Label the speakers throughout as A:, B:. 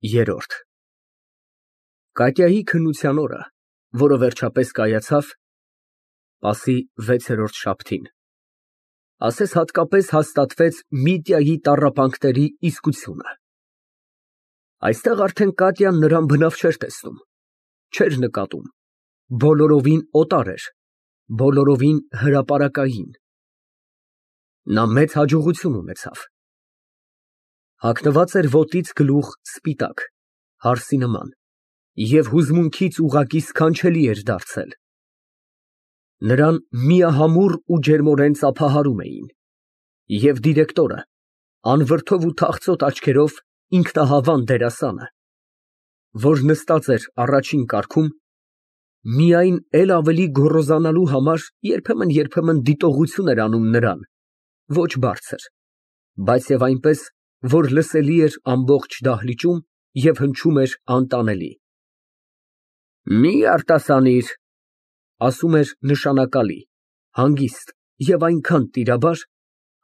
A: Երրորդ Կատյայի քննության օրը, որը վերջապես կայացավ, պասի 6-րդ շաբթին, ասես հատկապես հաստատվեց Միտյայի տառապանքների իսկությունը։ Այստեղ արդեն Կատյան նրան բնավ չէր տեսնում, չէր նկատում, բոլորովին օտար էր, բոլորովին հրապարակային։ Նա մեծ հաջողություն ունեցավ։ Հագնված էր ոտից գլուխ սպիտակ, հարսի նման, և հուզմունքից ուղղակի սքանչելի էր դարձել։ Նրան միահամուռ ու ջերմորեն ծափահարում էին, և դիրեկտորը, անվրդով ու թախծոտ աչքերով ինքնահավան դերասանը, որ նստած էր առաջին կարգում, միայն էլ ավելի գոռոզանալու համար երբեմն դիտողություն էր անում նրան, ոչ բարձր, բայց և այնպես, որ լսելի էր ամբողջ դահլիճում և հնչում էր անտանելի։ Մի արտասանիր, ասում էր նշանակալի, հանգիստ և այնքան տիրաբար,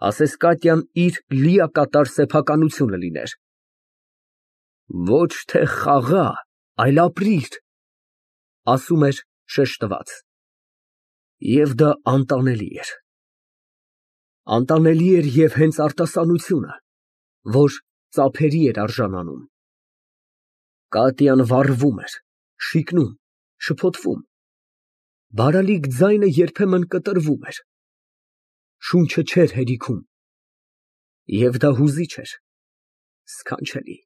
A: ասես Կատյան իր լիակատար սեփականությունը լիներ։ Ոչ թե խաղա, այլ ապրիր, ասում էր շշտված։ Եվ դա անտանելի էր։ Անտանելի էր և հենց արտասանությունը, որ ծափերի էր արժանանում։ Կատյան վառվում էր, շիկնում, շփոթվում, բարալիկ ձայնը երբեմն կտրվում էր, շունչը չէր հերիքում, և դա հուզիչ էր, սքանչելի։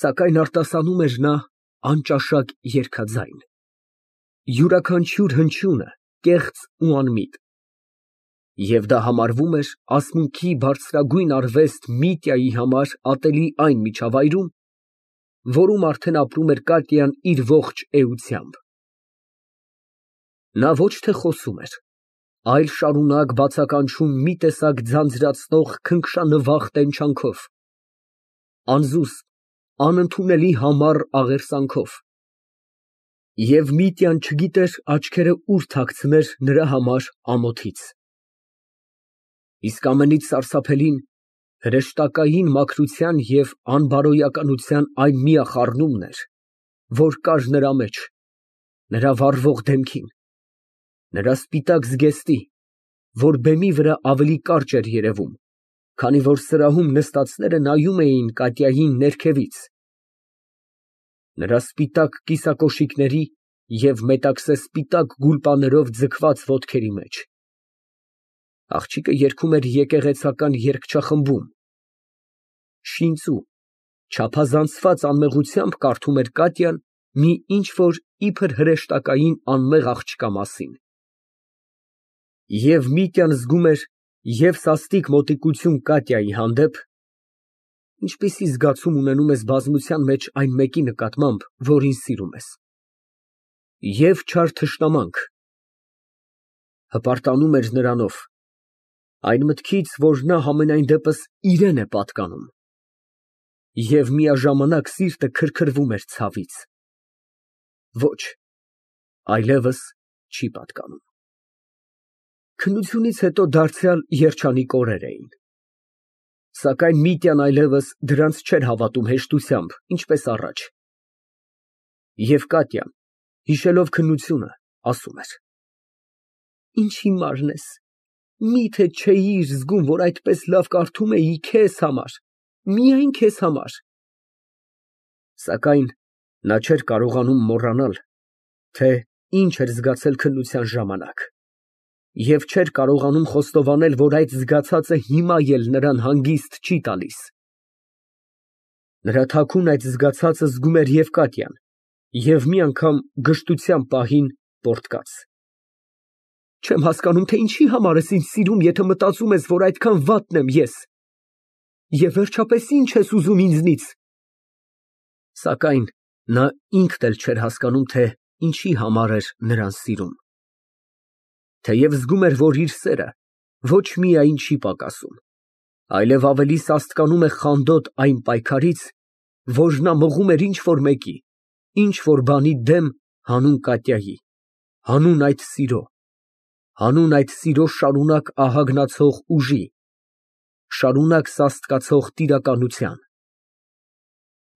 A: Սակայն արտասանում էր նա անճաշակ երգաձայն, յուրաքանչյուր հնչյունը կեղծ ու անմիտ, և դա համարվում էր ասմունքի բարձրագույն արվեստ Միտյայի համար ատելի այն միջավայրում, որում արդեն ապրում էր Կատյան իր ողջ էությամբ։ Նա ոչ թե խոսում էր, այլ շարունակ բացականչում մի տեսակ ձանձրացնող քնքշանվախ տենչանքով, անզուսպ, անընդունելի համառ աղերսանքով, և Միտյան չգիտեր աչքերը ուր թաքցներ նրա համար ամոթից։ Իսկ ամենից սարսափելին հրեշտակային մաքրության և անբարոյականության այն միախառնումն էր, որ կար նրա մեջ, նրա վառվող դեմքին, նրա սպիտակ զգեստի, որ բեմի վրա ավելի կարճ էր երևում, քանի որ սրահում նստածները նայում էին Կատյային ներքևից, նրա սպիտակ կիսակոշիկների և մետաքսե սպիտակ գուլպաներով ձգված ոտքերի մեջ։ Աղջիկը երգում էր եկեղեցական երգչախմբում, շինծու, չափազանցված անմեղությամբ կարդում էր Կատյան մի ինչ֊որ իբր հրեշտակային անմեղ աղջկա մասին։ Եվ Միտյան զգում էր և սաստիկ մոտիկություն Կատյայի հանդեպ, ինչպիսի զգացում ունենում ես բազմության մեջ այն մեկի նկատմամբ, որին սիրում ես, և չար թշնամանք, հպարտանում էր նրանով, այն մտքից, որ նա համենայն դեպս իրան է պատկանում, և միաժամանակ սիրտը քրքրվում էր ցավից։ Ոչ, այլևս չի պատկանում։ Քննությունից հետո դարձյալ երջանիկ օրեր էին։ Սակայն Միտյան այլևս դրանց չէր հավատում հեշտությամբ, ինչպես առաջ։ Եվ Կատյան, հիշելով քննությունը, ասում էր. Ինչ հիմարն ես, միթե չէիր զգում, որ այդպես լավ կարդում էի քեզ համար, միայն քեզ համար։ Սակայն նա չէր կարողանում մոռանալ, թե ինչ էր զգացել քննության ժամանակ, և չէր կարողանում խոստովանել, որ այդ զգացածը հիմա էլ նրան հանգիստ չի տալիս։ Նրա թաքուն այդ զգացածը զգում էր և Կատյան, և մի անգամ գժտության պահին պոռթկաց։ Չեմ հասկանում, թե ինչի համար ես ինձ սիրում, եթե մտածում ես, որ այդքան վատն եմ ես, և վերջապես ինչ ես ուզում ինձնից։ Սակայն նա ինքն էլ չէր հասկանում, թե ինչի համար էր նրան սիրում։ Թեև զգում էր, որ իր սերը ոչ միայն չի պակասում, այլև ավելի սաստկանում է խանդոտ այն պայքարից, որ նա մղում էր ինչ֊որ մեկի, ինչ֊որ բանի դեմ հանուն Կատյայի, հանուն այդ սիրո շարունակ ահագնացող ուժի, շարունակ սաստկացող տիրականության։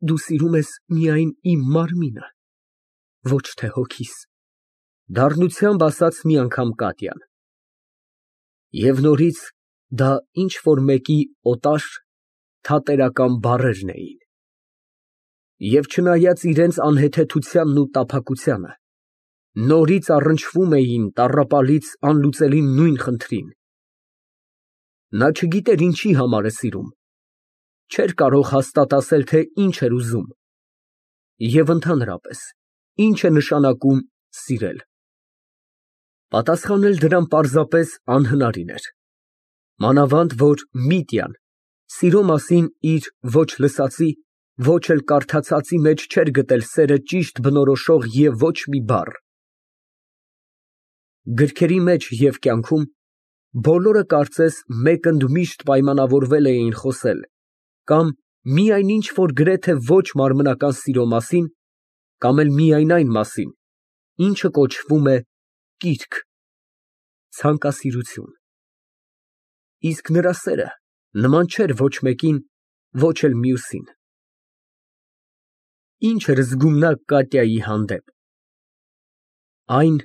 A: Դու սիրում ես միայն իմ մարմինը, ոչ թե հոգիս, դառնությամբ ասաց մի անգամ Կատյան։ Եվ նորից դա ինչ որ մեկի օտար, թատերական բառերն էին։ Եվ չնայած իրենց անհեթեթությանն ու տափակությանը, նորից առնչվում էին տառապալից անլուծելի նույն խնդրին։ Նա չգիտեր ինչի համար է սիրում, չէր կարող հաստատ ասել, թե ինչ էր ուզում, և ընդհանրապես, ինչ է նշանակում սիրել։ Պատասխանել դրան պարզապես անհնարին էր, մանավանդ որ Միտյան սիրո մասին իր ոչ լսածի, ոչ էլ կարդացածի մեջ չէր գտել սերը ճիշտ բնորոշող և ոչ մի բառ։ Գրքերի մեջ և կյանքում բոլորը կարծես մեկընդմիշտ միշտ պայմանավորվել էին խոսել կամ միայն ինչ֊որ գրեթե ոչ մարմնական սիրո մասին, կամ էլ միայն այն մասին, ինչը կոչվում է կիրք, ցանկասիրություն։ Իսկ նրա սերը նման չէր ոչ մեկին, ոչ էլ մյուսին։ Ինչ էր զգում նա Կատյայի հանդեպ։ Այն,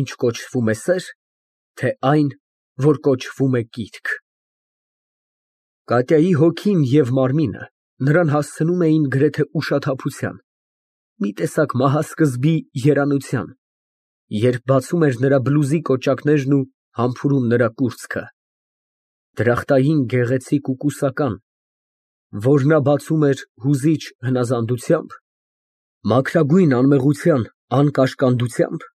A: ինչ կոչվում է սեր, թե այն, որ կոչվում է կիրք։ Կատյայի հոգին և մարմինը նրան հասցնում էին գրեթե ուշաթափության, մի տեսակ մահասկզբի երանության, երբ բացում էր նրա բլուզի կոճակներն ու համբուրում նրա կուրծքը, դրախտային գեղեցիկ ու կուսական, որ նա բացում էր հուզիչ հնազանդությամբ, մաքրագույն անմեղության անկաշկանդությամբ,